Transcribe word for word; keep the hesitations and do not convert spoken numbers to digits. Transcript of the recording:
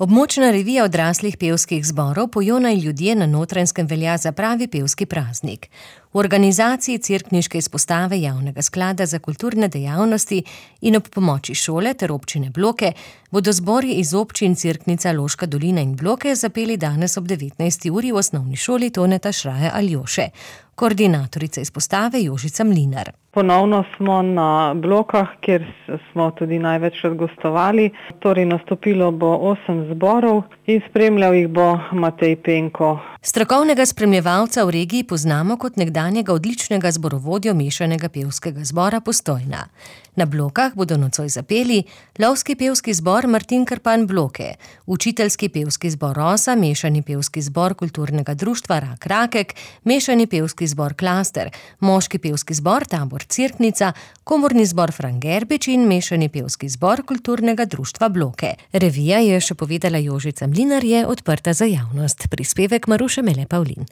Območna revija odraslih pevskih zborov Pojona in ljudje na Notranjskem velja za pravi pevski praznik. V organizaciji Cerkniške izpostave Javnega sklada za kulturne dejavnosti in ob pomoči šole ter občine Bloke bodo zbori iz občin Cerknica, Loška dolina in Bloke zapeli danes ob devetnajsti uri v osnovni šoli Toneta Šraja Aljoše. Koordinatorica izpostave Jožica Mlinar. Ponovno smo na Blokah, kjer smo tudi največkrat gostovali. Torej nastopilo bo osem zborov in spremljal jih bo Matej Penko. Strokovnega spremljevalca v regiji poznamo kot nekdanjega odličnega zborovodjo mešanega pevskega zbora Postojna. Na Blokah bodo nocoj zapeli lovski pevski zbor Martin Krpan Bloke, učiteljski pevski zbor Rosa, mešani pevski zbor kulturnega društva Rak Rakek, mešani pevski zbor Klaster, moški pevski zbor Tabor Cerknica, komorni zbor Fran Gerbič in mešani pevski zbor kulturnega društva Bloke. Revija, je še povedala Jožica Mlinar, je odprta za javnost. Prispevek Maruše Mele Pavlin.